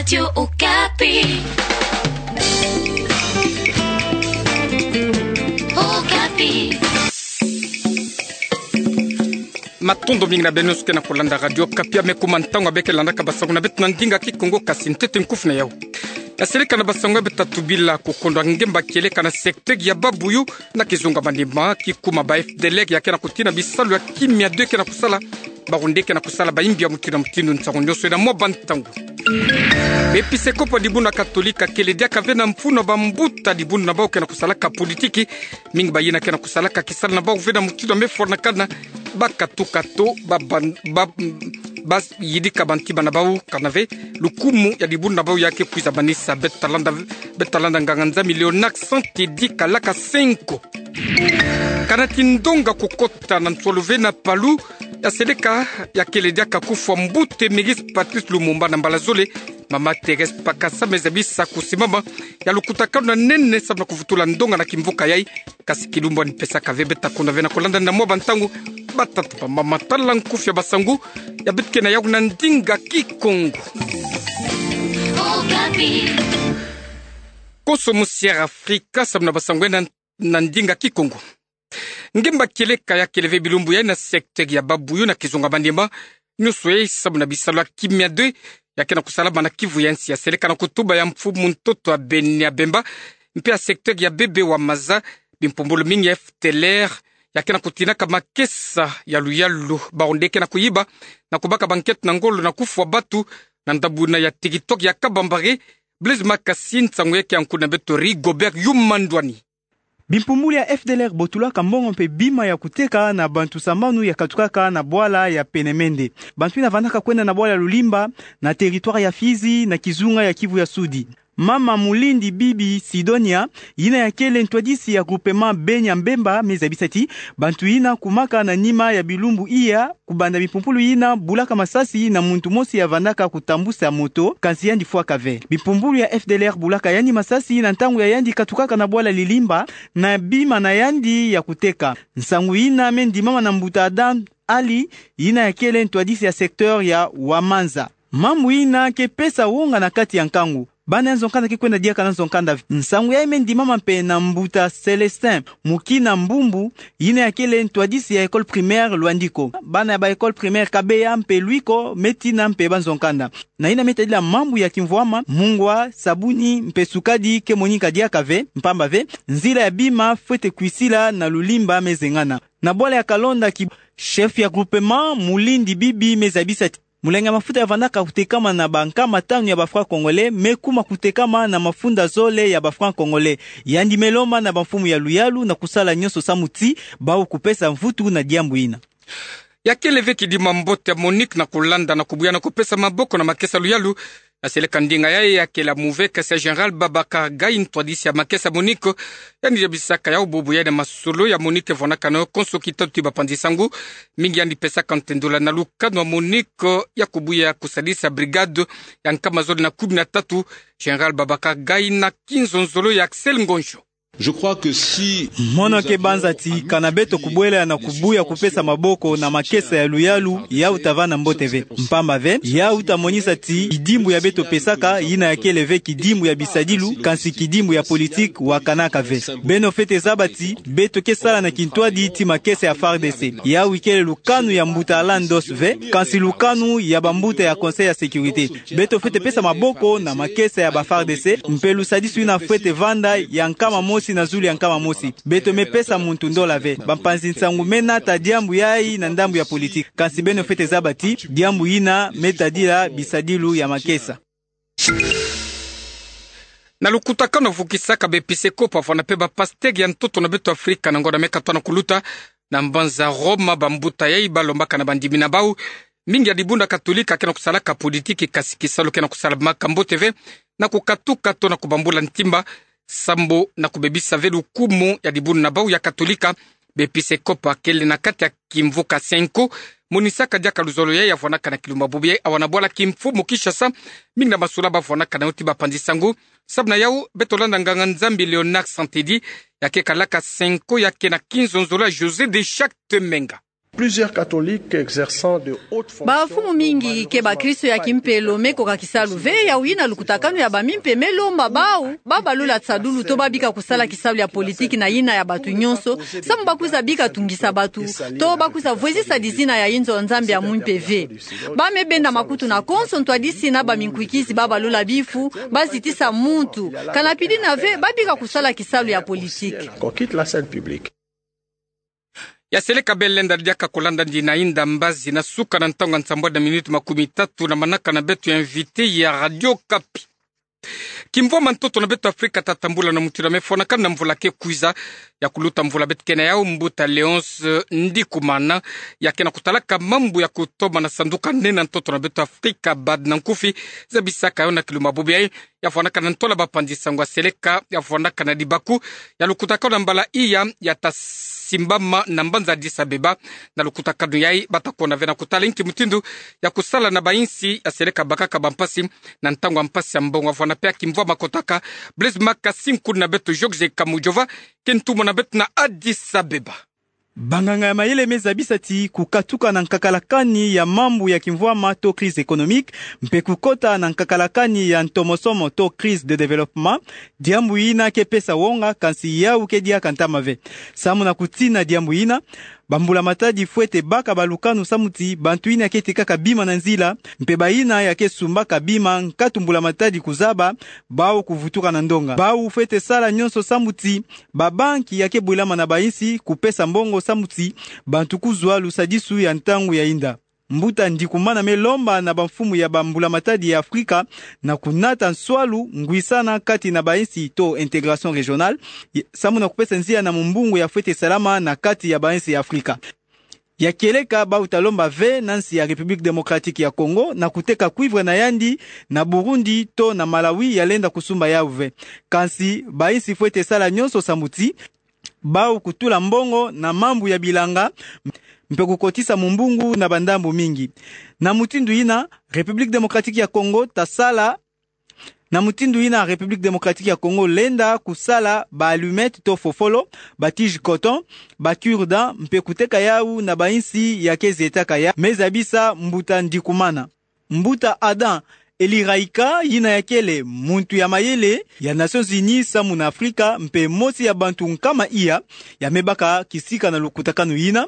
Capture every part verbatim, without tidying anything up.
Radio Okapi. Okapi. Matondo mingi na beno nyonso ke na kolanda Radio Okapi, ya me kuma ntangu ya beke landaka basango na beto na ndinga Kikongo, kasi ntete nkufi na yau. Ya seleka na basango ya beto ta tubila, kukondwa ngemba kieleka na secteur ya Babuyu na kizunga manima, ki kuma ba F D L R ya ke na kutina bisalu ya kimia de ke na kusala, bawu nde ke na kusala, bayimbi ya mutindu na mutindu. Nsangu nyonso ena mwa bantangu. Bepisekopo ya dibundu ya Katolika kele diaka ve na mfunu ya bambuta dibundu na bawu ke na kusalaka politiki, mingi bayina ke na kusalaka kisalu na bawu ve na mutindu ya me fwanakana, bakatuka to, ba ban-, ba, bayidika bantima na bawu, kana ve lukumu ya dibundu na bawu ya ke kwiza manisa. Beto ta landa, beto ta landa nganga-nzambi Léonard Santedi Kalaka Senko. Kana ti ndonga kukota na nsolo ve na Palu, ya seleka, ya kele diaka kufwa mbute Mégis Patrice Lumumba na mbala zole, mama Thérèse Pakasa me zabisa kusimama ya lukutakanu na nene samu na kuvutula ndonga na kimvuka yai, kasi kilumbu ani pesaka ve. Beto ta kondwa ve na kolanda na mwa bantangu, batata, bamama, tala nkufi ya basango ya beto ke na yau na ndinga Kikongo. Konso musi Air Afrika samu na basango ena na ndinga Kikongo. Ngemba kieleka ya kele ve bilumbu yai na secteur ya Babuyu na kizunga manima, nyonso yai samu na bisalu ya kimia de ya ke na kusalama na kivu ya nsi. Ya seleka na kutuba ya mfumu ntoto ya Beni ya Bemba, mpe ya secteur ya Bebe wa Maza, bimpumbulu mingi ya F D L R ya ke na kutinaka makesa ya luyalu, bawu nde ke na kuyiba, na kubaka banketo na ngolo na kufwa batu, na ndambu ina ya territoire ya Kabambare. Blaise Makasi, nsangu ya ke ya nkufi na beto Rigobert Yuma Ndwani. Bimpumbulu ya F D L R botulaka mbongo mpe bima ya kuteka na bantu sambanu ya katukaka na bwala ya Penemende. Bantu ina vandaka kwenda na bwala Lulimba, na territoire ya Fizi, na kizunga ya Kivu ya Sudi. Mama Mulindi Bibi Sidonia, ina ya kele ntwadisi ya groupement Beni ya Bemba, me zabisa ti bantu ina kumaka na nima ya bilumbu iya, kubanda bimpumbulu ina bulaka masasi na muntu mosi ya vandaka kutambusa moto, kansi yandi fwaka ve. Bimpumbulu ya F D L R bulaka yandi masasi na ntangu ya yandi katukaka na bwala Lilimba na bima na yandi ya kuteka. Nsangu ina me ndimama na mbuta Adam Ali, ina ya kele ntwadisi ya secteur ya Wamanza. Mambu ina ke pesa wonga na kati ya nkangu. Bana ya nzo-nkanda ke kwenda diaka na nzo-nkanda. Nsangu yai me ndimama mpe na mbuta Célestin Mukina Mbumbu, ina ya kele ntwadisi ya école primaire Luandiko. Bana ya ba école primaire Kabeya mpe Luiko me tina mpe ba nzo-nkanda. Na ina me tadila mambu ya kimvwama, mungwa, sabuni mpe sukadi ke monika diaka ve, mpamba ve nzila ya bima fwete kwisila na Lulimba me zengana. Na bwala ya Kalonda ki chef ya groupement Mulindi Bibi me zabisa ti mulangi ya mafuta ya vandaka kutekama na ba nkama tanu ya ba francs congolais me kuma kutekama na mafunda zole ya ba francs congolais. Yandi me lomba na bamfumu ya luyalu na kusala nyonso samu ti bawu kupesa mvutu na diambu ina. Ya kele ve kidimbu ya mbote ya MONUC na kulanda na kubuya na kupesa maboko na makesa luyalu. Ya seleka ndinga yai ya kele ya move kasi ya Général Babacar Gaye, ntwadisi ya makesa MONUC, yandi zabisaka yau bubu yai na masolo ya MONUC vwanakana yo konso kitatu ti bapanzi sangu. Mingi yandi pesaka ntendola na lukanu ya MONUC ya kubuya kusadisa brigade ya nkama zole na kumi na tatu. Général Babacar Gaye na kinzonzolo ya Axel Ngonjo. Je crois que si Mono ke banza ti kana beto kubwela na kubuya kupesa maboko na makesa ya luyalu, yau ta vanda mbote ve. Mpamba ve, yau ta monisa ti kidimbu ya beto pesaka, ina ya kele ve kidimbu ya bisadilu, kansi kidimbu ya politique wakanaka ve. Beno fwete zaba ti beto ke sala na kintwadi ti makesa ya FARDC. Yau ikele lukanu ya mbuta Alan Doss ve, kansi lukanu ya bambuta ya Conseil ya Sécurité. Beto fwete pesa maboko na makesa ya ba FARDC, mpe lusadisu ina fwete vanda ya nkama mosi na zulu ya nkama mosi. Beto me pesa muntu ndola ve. Bampanzi nsangu me nata diambu yai na ndambu ya politique. Kansi beno fwete zaba ti diambu ina me tadila bisadilu ya makesa. Na lukutakanu vukisaka bepisekopo vwana mpe bapasteur ya ntoto na beto Afrika na ngonda me katoa na kuluta, na mbanza Roma, bambuta yai balombaka na bandimi na bau, mingi ya dibundu ya Katolika ke na kusalaka politiki, kasi kisalu ke na kusalamaka mbote ve, na kukatuka to na kubambula ntimba, sambo na kubebisa ve lukumu ya dibundu na bau ya Katolika. Bepisekopo kele na kati ya kimvuka Senko, monisaka diaka luzolo yai ya vwanaka na kilumbu bubu yai awa na bwala kimfumu Kinshasa. Mingi na masula ba vwanaka na yo ti bapanzi sangu. Samu na yau, beto landa nganga-Nzambi Léonard Santedi, ya ke kalaka Senko, ya ke na kinzonzolo ya José de Chacte Menga. Plusieurs catholiques exerçant de hautes fonctions. Bamfumu mingi ke bakristo ya kimpelo me koka kisalu ve, yawu yina lukutakanu ya bamimpe me lomba bawu babalula tisadulu to babika kusala kisalu ya politiki na yina ya bantu nyonso, samu bakwiza bika tungisa bantu, to bakwiza vwezisa dizina ya inzo ya Nzambi ya mwimpe ve. Ba me benda makutu na konso ntwadisi na baminkwikizi babalula bifu, bazitisa muntu, kana pidina ve babika kusala kisalu ya politiki. Qu'on quitte la scène publique. Ya seleka bele lenda diaka kolanda ndina inda mbazi na suka na ntangu ya nsambwadi na minute makumi tatu na manaka na beto ya invité ya Radio Okapi. Kimvwama ntoto na beto Afrika tatambula na mutindu ya mefwanakana na mvula ke kwiza, ya kuluta mvula beto ke na yawu, mbuta Léonce Ndikumana, ya ke na kutalaka mambu ya kutoma na sanduka nene ya ntoto na beto Afrika, bad na nkufi, zabisaka yo na kilumbu bubu yayi, ya fwanakana na ntola bapanzi sango ya seleka, ya fwanakana na libaku ya lukutakanu na mbala iya, ya tasimbama na mbanza Addis Abeba, na lukutakanu yayi bata kona ve na kutala inki mutindu ya kusala na bayinsi ya seleka bakaka bampasi na ntangu ya mpasi ya mbongo. Vwanda pe ya kimvwama kotaka, Blaise Makasinku na beto Georges Kamujova, ke ntumwa na beto na Addis Abeba. Banganga ya mayele me zabisa ti kukatuka na nkakalakani ya mambu ya kimvwama to crise économique, mpe kukota na nkakalakani ya ntomosomo to crise de développement, diambu yina ke pesa wonga, kansi yawu ke diaka ntama ve. Samu na kutina diambu yina, bambulamatadi fwete baka balukanu samu ti bantu yina ke tekaka bima na nzila, mpe bayina ya ke sumbaka bima nkatu mbulamatadi kuzaba, bawu kuvutuka na ndonga. Bawu fwete sala nyonso samu ti babanki ya ke bwelama na bayinsi kupesa mbongo samu ti bantu kuzwa lusadisu ya ntangu ya inda. Mbuta Ndikumana me lomba na bamfumu ya bambulamatadi ya Afrika na kunata nswalu ngwisana kati na bayinsi to intégration régionale, samu na kupesa nzila na mumbungu ya fwete salama na kati ya bayinsi ya Afrika. Ya kieleka, bawu ta lomba ve na nsi ya République Démocratique ya Congo na kuteka cuivre na yandi na Burundi to na Malawi, ya lenda kusumba yawu ve. Kansi bayinsi fwete sala nyonso samu ti bawu kutula mbongo na mambu ya bilanga, mpe kukotisa mumbungu na bandambu mingi. Na mutindu yina, République Démocratique ya Congo ta sala Na mutindu yina République Démocratique ya Congo lenda kusala ba allumettes to fofolo, ba tiges coton, ba cure-dents, mpe kuteka yawu na bayinsi ya ke zietaka yawu, me zabisa mbuta Ndikumana. Mbuta Adam Eliraika, yina ya kele muntu ya mayele ya Nations Unies samu na Afrika, mpe mosi ya bantu nkama iya ya me baka kisika na lukutakanu yina.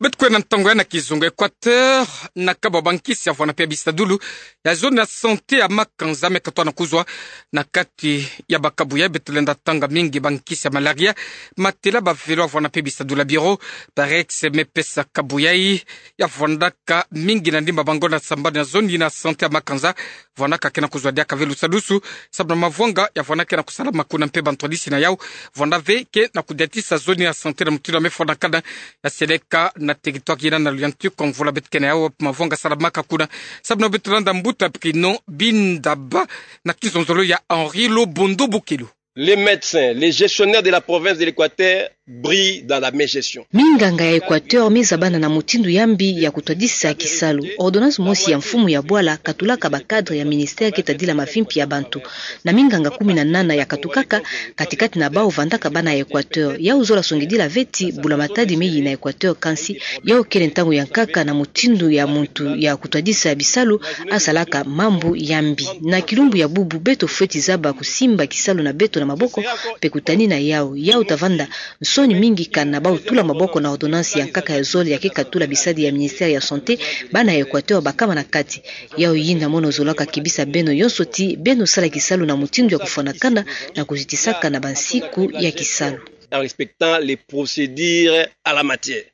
Beto kwenda ntangu ya na kizunga. Équateur na kabwa bankisi ya vwanda pe bisadulu ya zone ya santé ya Makanza me katwa na kuzwa. Na kati ya bakabu yayi beto lenda tanga mingi bankisi ya malaria, matela, ba vélo ya vwanda pe bisadulu ya bureau, Parex me pesa kabu yayi ya vwandaka mingi na ndimba bango na sambanu ya zone yina santé ya Makanza. Vwandaka ke na kuzwa diaka ve lusadusu, sababu na mavwanga ya vwanda ke na kusalama kuna mpe bantwadisi na yawu vwanda ve ke na kudiatisa zone ya santé na mutindu ya me fwanakana, ya seleka na territoire yina na luyantiku mvula beto ke na yawu, mavwanga salamaka kuna. Sababu na beto landa mbuta Bruno Bindaba na kizonzolo ya Henri Lobondo Bokelo. Les médecins, les gestionnaires de la province de l'Équateur brillent dans la mégestion. Minganga ya Équateur me zabana na mutindu ya mbi ya kutwadisa kisalu. Ordonnance mosi ya mfumu ya bwala katulaka ba cadres ya ministère ke tadila mavimpi ya bantu. Na minganga kumi na nana ya katukaka, kati-kati na bawu vandaka bana ya Équateur. Yawu zola songidila ve ti mbulamatadi me yina Équateur, kansi yawu kele ntangu ya nkaka na mutindu ya muntu ya kutwadisa bisalu asalaka mambu ya mbi. Na kilumbu ya bubu beto fweti zaba kusimba kisalu na beto na maboko, mpe kutanina yawu. Yawu ta vanda nsoni mingi kana bawu tula maboko na ordonnance ya nkaka ya zole ya ke katula bisadi ya ministère ya santé, bana ya Équateur bakama na kati. Yawu yina mono zolaka kebisa beno yonso ti beno sala kisalu na mutindu ya kufwanakana na kuzitisaka na bansiku ya kisalu. En respectant les procédures à la matière.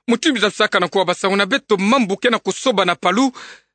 Mutindu zabisaka na kuwa basango na beto, mambu ke na kusoba na Palu.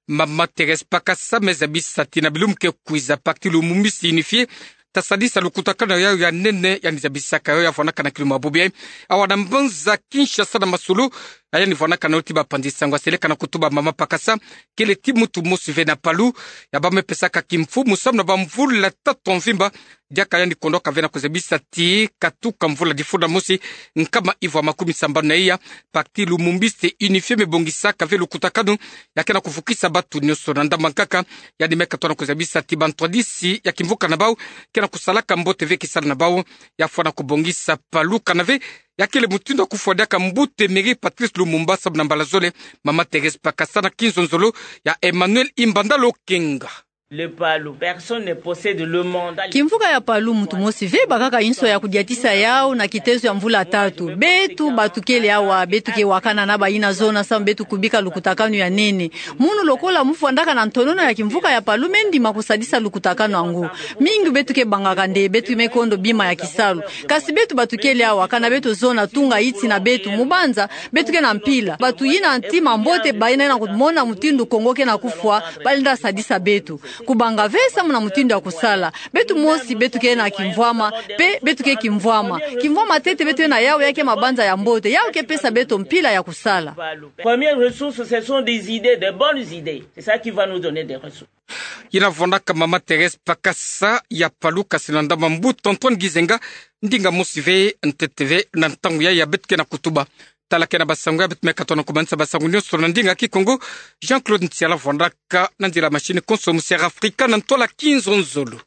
Mama Thérèse Pakasa me zabisa ti na bilumbu ke kwiza, parti Lumumbisi Unifié ta sadisa lukutakanu ya yawu ya nene, yandi zabisaka yo ya fwanaka na kilumbu bubu yayi awa na mbanza Kinshasa na masolo. Yandi fwanaka na yo ti bapanzi sango ya seleka na kutuba mama Pakasa kele ti muntu mosi ve na Palu ya bamesaka kimfumu samu na bamvula tatu ya mvimba, diaka yandi kondoka ve na kuzabisa ti katuka mvula difunda mosi, nkama ivwa makumi sambanu na iya, parti Lumumbiste Unifié me bongisaka ve lukutakanu ya ke na kuvukisa batu nyonso. Na ndambu ya nkaka, yandi me katoa na kuzabisa ti bantwadisi ya kimvuka na bawu ke na kusalaka mbote ve kisalu na bawu, ya fwana kubongisa Palu kana ve ya kele mutindu ya kufwa diaka mbuta Emery Patrice Lumumba, sababu na mbala zole Mama Thérèse Pakassa na kinzonzolo ya Emmanuel Imbanda Lokenga. Le Palu, personne ne possède le mandat. Kimvuka ya Palu, muntu mosi ve bakaka inso ya kudiatisa yawu na kitezo ya mvula tatu. Beto batukele awa, beto ke wakana na bayina zona samu beto kubika lukutakanu ya nene. Munu lokola mufwandaka na ntonono ya kimvuka ya Palu, me ndima kusadisa lukutakanu yango. Mingi beto ke bangaka nde beto me kondo bima ya kisalu. Kasi beto batukele awa, kana beto zona tunga iti na beto, mubanza beto ke na mpila. Bato yina ntima mbote, bayina yina kumona mutindu Kongo ke na kufwa, balenda sadisa beto. Kubanga ve samu na mutindu ya kusala. Beto mosi, beto ke na kimvwama, pe beto ke kimvwama. Kimvwama ntete beto ke na yawu, ya ke mabanza ya mbote, yawu ke pesa beto mpila ya kusala. Première ressource, ce sont des idées, des bonnes idées. C'est ça qui va nous donner des ressources. Yina vwandaka Mama Thérèse Pakassa ya Palu, kasi na ndambu Mbuta Antoine Gizenga, ndinga mosi ve ntete ve na ntangu ya, ya beto ke na kutuba. Tala ke na basango ya beto me katono kumanisa basango nyonso na ndinga Kikongo. Jean-Claude Ntiala vwandaka na nzila machine konso mu Sierra Africa na ntwala kinzonzolo.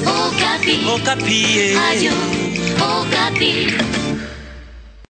Okapi. Okapi, eh. Radio Okapi.